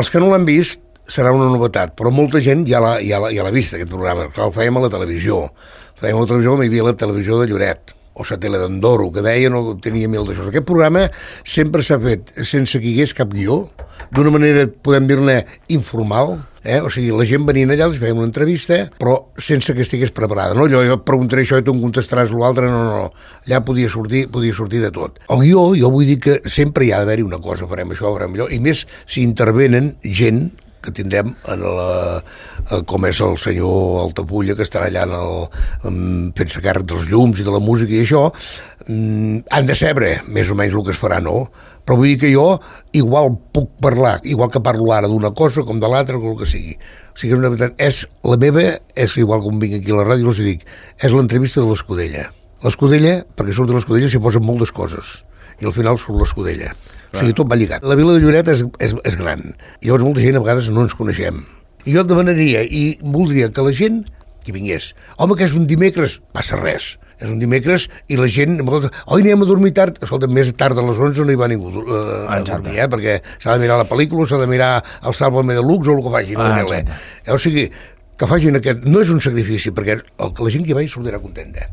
Els que no l'han vist serà una novetat, però molta gent ja l'ha vist, aquest programa. Clar, el fèiem a la televisió. El fèiem a la televisió, hi havia la televisió de Lloret, o la tele d'Andorro, que deia no tenia mil d'això. Aquest programa sempre s'ha fet sense que hi hagués cap guió, d'una manera, podem dir-ne, informal, o sigui, la gent venint allà, els fèiem una entrevista, però sense que estigués preparada, no? Jo preguntaré això i tu em contestaràs l'altre, no. Allà podia sortir de tot. El guió, jo vull dir que sempre hi ha d'haver-hi una cosa, farem això, farem allò, i més si intervenen gent que tindrem com és el senyor Altafulla, que estarà allà fent-se càrrec dels llums i de la música i això, han de saber més o menys el que es farà, no? Però vull dir que jo igual puc parlar, igual que parlo ara d'una cosa com de l'altra, o el que sigui. O sigui, la veritat, la meva és igual com vinc aquí a la ràdio, els dic, és l'entrevista de l'Escudella. L'Escudella, perquè surt de l'Escudella s'hi posen moltes coses, i al final surt l'Escudella. O sigui, tot va lligat. La vila de Lloret és gran. I llavors molta gent a vegades no ens coneixem. I jo et demanaria i voldria que la gent que vingués. Home, que és un dimecres, passa res. És un dimecres i la gent... Oi, anem a dormir tard. Escolta, més tard de les 11 no hi va ningú a dormir, perquè s'ha de mirar la pel·lícula, s'ha de mirar el Sálvame Deluxe o el que facin. O sigui, que facin aquest... No és un sacrifici, perquè la gent que hi va hi sortirà contenta.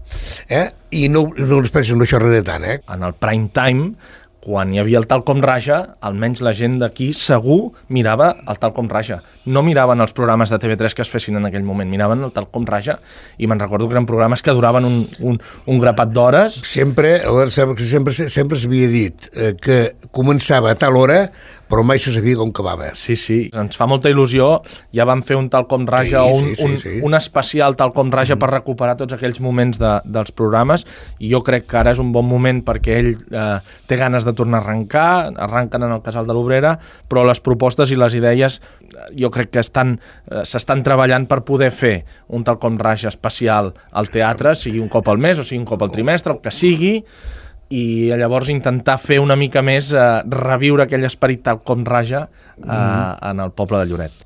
I no es pensen no xerraré tant. En el prime time, quan hi havia el Tal com Raja, almenys la gent d'aquí segur mirava el Tal com Raja. No miraven els programes de TV3 que es fessin en aquell moment, miraven el Tal com Raja, i me'n recordo que eren programes que duraven un grapat d'hores. Sempre s'havia dit que començava a tal hora, però mai se sabia com acabava. Sí, ens fa molta il·lusió. Ja vam fer un Tal com Raja, un especial Tal com Raja per recuperar tots aquells moments dels programes, i jo crec que ara és un bon moment perquè ell té ganes de tornar a arrencar, arrenquen en el Casal de l'Obrera, però les propostes i les idees jo crec que s'estan treballant per poder fer un Tal com Raja especial al teatre, sigui un cop al mes o sigui un cop al trimestre, el que sigui, i llavors intentar fer una mica més reviure aquell esperit Tal com Raja en el poble de Lloret.